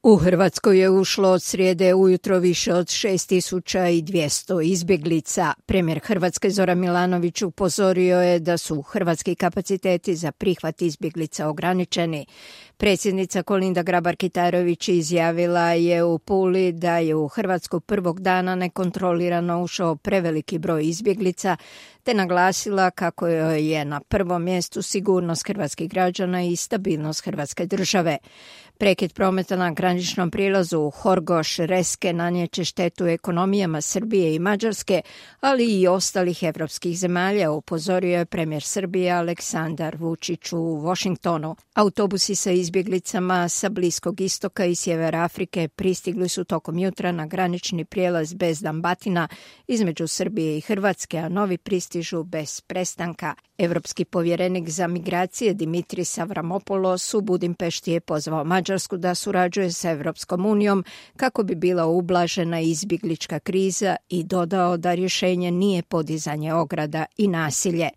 U Hrvatskoj je ušlo od srijede ujutro više od 6200 izbjeglica. Premijer Hrvatske Zoran Milanović upozorio je da su hrvatski kapaciteti za prihvat izbjeglica ograničeni. Predsjednica Kolinda Grabar-Kitarović izjavila je u Puli da je u Hrvatsku prvog dana nekontrolirano ušao preveliki broj izbjeglica, te naglasila kako je na prvom mjestu sigurnost hrvatskih građana i stabilnost Hrvatske države. Prekid prometa na graničnom prijelazu u Horgoš-Reske nanijeće štetu ekonomijama Srbije i Mađarske, ali i ostalih evropskih zemalja, upozorio je premijer Srbije Aleksandar Vučić u Washingtonu. Autobusi sa izbjeglicama sa Bliskog istoka i sjevera Afrike pristigli su tokom jutra na granični prijelaz Bezdan Batina između Srbije i Hrvatske, a novi pristižu bez prestanka. Evropski povjerenik za migracije Dimitris Avramopoulos u Budimpešti je pozvao Mađarsku da surađuje sa Evropskom unijom kako bi bila ublažena izbjeglička kriza i dodao da rješenje nije podizanje ograda i nasilje.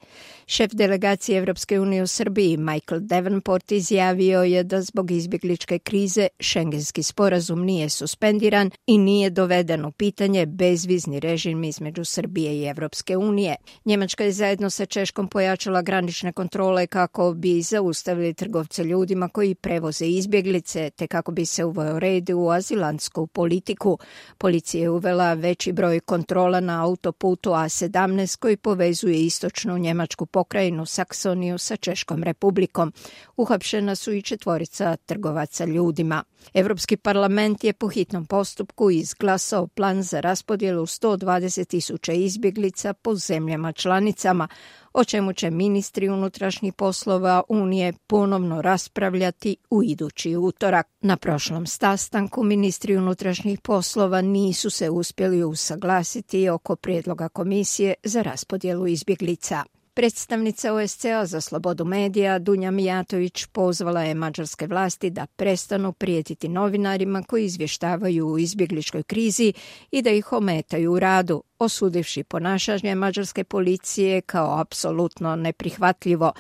Šef delegacije Evropske unije u Srbiji Michael Davenport izjavio je da zbog izbjegličke krize Schengenski sporazum nije suspendiran i nije doveden u pitanje bezvizni režim između Srbije i Evropske unije. Njemačka je zajedno sa Češkom pojačala granične kontrole kako bi zaustavili trgovce ljudima koji prevoze izbjeglice, te kako bi se uveo red u azilantsku politiku. Policija je uvela veći broj kontrola na autoputu A17 koji povezuje istočnu njemačku pokrajinu Saksoniju sa Češkom republikom. Uhapšena su i 4 trgovaca ljudima. Europski parlament je po hitnom postupku izglasao plan za raspodjelu 120.000 izbjeglica po zemljama članicama, o čemu će ministri unutrašnjih poslova Unije ponovno raspravljati u idući utorak. Na prošlom sastanku ministri unutrašnjih poslova nisu se uspjeli usaglasiti oko prijedloga komisije za raspodjelu izbjeglica. Predstavnica OSCE-a za slobodu medija Dunja Mijatović pozvala je mađarske vlasti da prestanu prijetiti novinarima koji izvještavaju o izbjegličkoj krizi i da ih ometaju u radu, osudivši ponašanje mađarske policije kao apsolutno neprihvatljivo.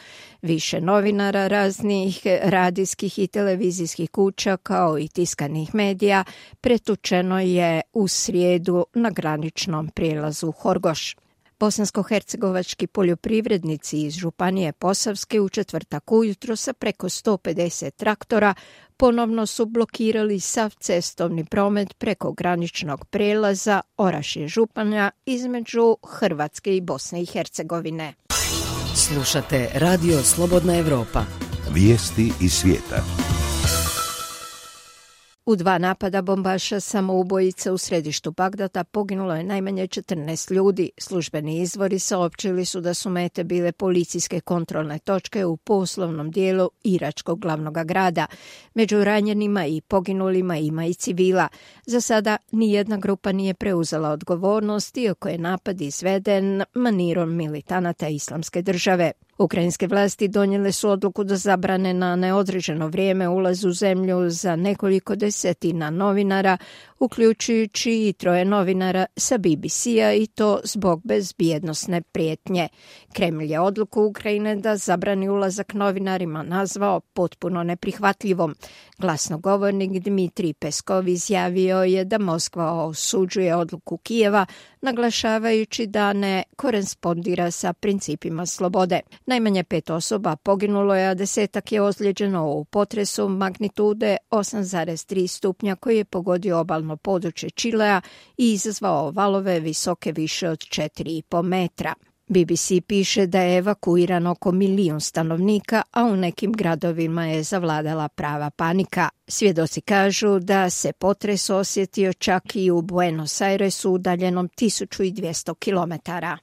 Više novinara raznih radijskih i televizijskih kuća kao i tiskanih medija pretučeno je u srijedu na graničnom prijelazu Horgoš. Bosansko-hercegovački poljoprivrednici iz Županije Posavske u četvrtak ujutro sa preko 150 traktora ponovno su blokirali sav cestovni promet preko graničnog prijelaza Orašje-Županja između Hrvatske i Bosne i Hercegovine. Slušate Radio Slobodna Evropa. Vijesti iz svijeta. U 2 napada bombaša samoubojica u središtu Bagdada poginulo je najmanje 14 ljudi. Službeni izvori saopćili su da su mete bile policijske kontrolne točke u poslovnom dijelu iračkog glavnog grada. Među ranjenima i poginulima ima i civila. Za sada nijedna grupa nije preuzela odgovornost, iako je napad izveden manirom militanata Islamske države. Ukrajinske vlasti donijele su odluku da zabrane na neodređeno vrijeme ulaz u zemlju za nekoliko desetina novinara, uključujući i 3 novinara sa BBC-a i to zbog bezbjednosne prijetnje. Kremlj je odluku Ukrajine da zabrani ulazak novinarima nazvao potpuno neprihvatljivom. Glasnogovornik Dmitrij Peskov izjavio je da Moskva osuđuje odluku Kijeva, naglašavajući da ne korespondira sa principima slobode. Najmanje 5 osoba poginulo je, a 10-ak je ozlijeđeno u potresu magnitude 8,3 stupnja koji je pogodio obalno područje Čilea i izazvao valove visoke više od 4,5 metra. BBC piše da je evakuirano oko 1 milijun stanovnika, a u nekim gradovima je zavladala prava panika. Svjedoci kažu da se potres osjetio čak i u Buenos Airesu udaljenom 1200 kilometara.